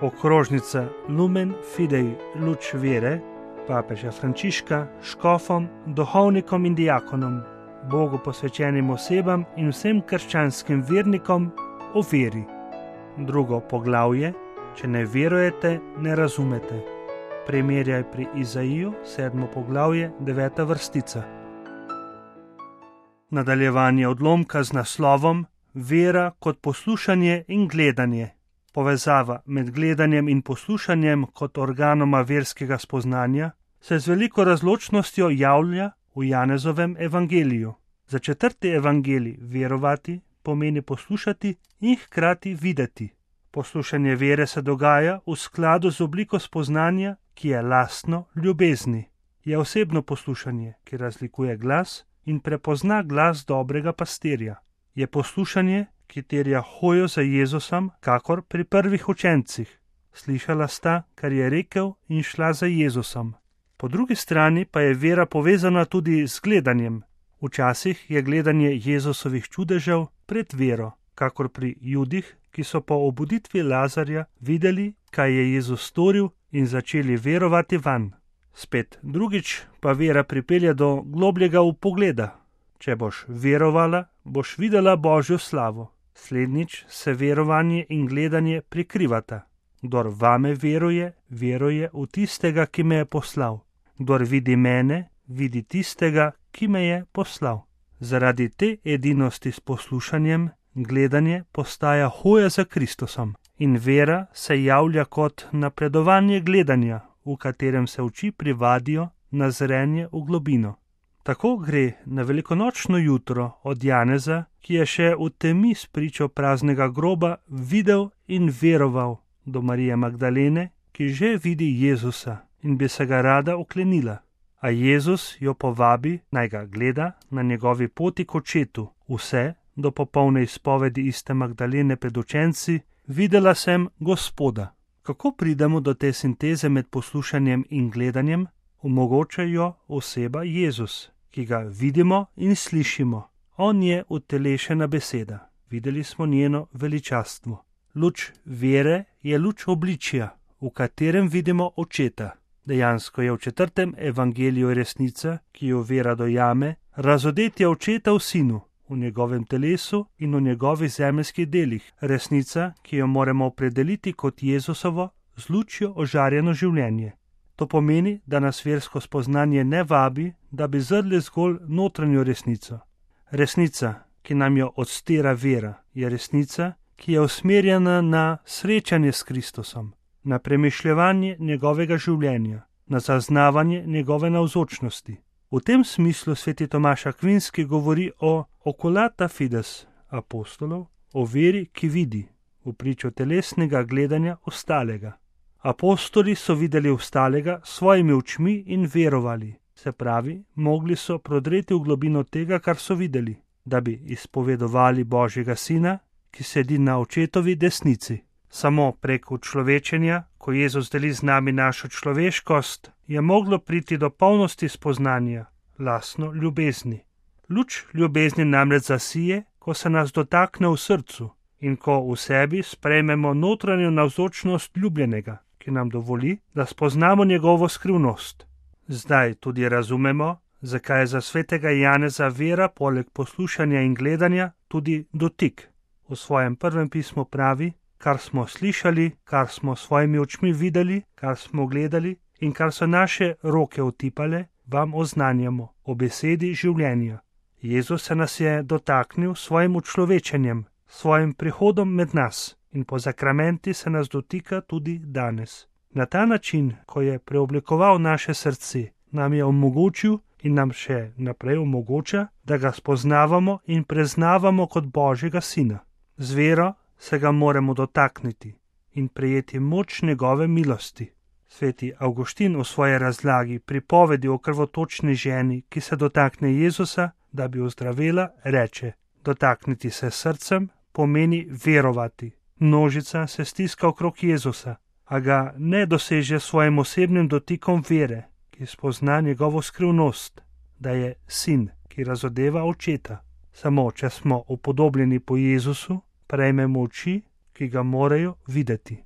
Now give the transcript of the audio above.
Okrožnica Lumen Fidei luč vere papeža Frančiška škofom, duhovnikom in diakonom, Bogu posvečenim osebam in vsem krščanskim vernikom o veri. Drugo poglavje: če ne verujete, ne razumete. Primerjaj pri Izaiju, 7. poglavje, 9. vrstica. Nadaljevanje odlomka z naslovom Vera kot poslušanje in gledanje. Povezava med gledanjem in poslušanjem kot organoma verskega spoznanja se z veliko razločnostjo javlja v Janezovem evangeliju. Za 4. evangelij verovati pomeni poslušati in hkrati videti. Poslušanje vere se dogaja v skladu z obliko spoznanja, ki je lastno ljubezni. Je osebno poslušanje, ki razlikuje glas in prepozna glas dobrega pastirja. Je poslušanje, ki terja hojo za Jezusom, kakor pri prvih učencih. Slišala sta, kar je rekel, in šla za Jezusom. Po drugi strani pa je vera povezana tudi z gledanjem. Včasih je gledanje Jezusovih čudežev pred vero, kakor pri Judih, ki so po obuditvi Lazarja videli, kaj je Jezus storil in začeli verovati vanj. Spet drugič pa vera pripelje do globljega vpogleda. Če boš verovala, boš videla Božjo slavo. Slednjič se verovanje in gledanje prikrivata. Kdor vame veruje, veruje v tistega, ki me je poslal. Kdor vidi mene, vidi tistega, ki me je poslal. Zaradi te edinosti s poslušanjem, gledanje postaja hoja za Kristusom in vera se javlja kot napredovanje gledanja, v katerem se oči privadijo na zrenje v globino. Tako gre na velikonočno jutro od Janeza, ki je še v temi spričo praznega groba videl in veroval, do Marije Magdalene, ki že vidi Jezusa in bi se ga rada oklenila. A Jezus jo povabi, naj ga gleda na njegovi poti k očetu. Vse do popolne izpovedi iste Magdalene pred učenci: videla sem Gospoda. Kako pridemo do te sinteze med poslušanjem in gledanjem? Omogoča jo oseba Jezus, ki ga vidimo in slišimo. On je utelešena beseda. Videli smo njeno veličastvo. Luč vere je luč obličja, v katerem vidimo očeta. Dejansko je v 4. evangeliju resnica, ki jo vera dojame, razodetje očeta v sinu, v njegovem telesu in v njegovih zemeljskih delih. Resnica, ki jo moramo opredeliti kot Jezusovo z lučjo ožarjeno življenje. To pomeni, da nas versko spoznanje ne vabi, da bi zrli zgolj notranjo resnico. Resnica, ki nam jo odstira vera, je resnica, ki je usmerjena na srečanje s Kristusom, na premišljevanje njegovega življenja, na zaznavanje njegove navzočnosti. V tem smislu sveti Tomaž Akvinski govori o oculata fides apostolov, o veri, ki vidi, v pričo telesnega gledanja ostalega. Apostoli so videli ostalega s svojimi očmi in verovali, se pravi, mogli so prodreti v globino tega, kar so videli, da bi izpovedovali Božjega Sina, ki sedi na očetovi desnici. Samo prek učlovečenja, ko Jezus deli z nami našo človeškost, je moglo priti do polnosti spoznanja, lastno ljubezni. Luč ljubezni namreč zasije, ko se nas dotakne v srcu in ko v sebi sprejmemo notranjo navzočnost ljubljenega, ki nam dovoli, da spoznamo njegovo skrivnost. Zdaj tudi razumemo, zakaj je za svetega Janeza vera poleg poslušanja in gledanja tudi dotik. V svojem prvem pismu pravi: kar smo slišali, kar smo s svojimi očmi videli, kar smo gledali in kar so naše roke otipale, vam oznanjamo o besedi življenja. Jezus se nas je dotaknil svojim učlovečenjem, svojim prihodom med nas in po sakramenti se nas dotika tudi danes. Na ta način, ko je preoblikoval naše srce, nam je omogočil in nam še naprej omogoča, da ga spoznavamo in preznavamo kot Božjega Sina. Z vero se ga moramo dotakniti in prejeti moč njegove milosti. Sveti Avguštin v svoji razlagi pripovedi o krvotočni ženi, ki se dotakne Jezusa, da bi ozdravela, reče: dotakniti se srcem pomeni verovati. Množica se stiska okrog Jezusa, a ga ne doseže s svojim osebnim dotikom vere, ki spozna njegovo skrivnost, da je sin, ki razodeva očeta. Samo če smo upodobljeni po Jezusu, prejmemo oči, ki ga morajo videti.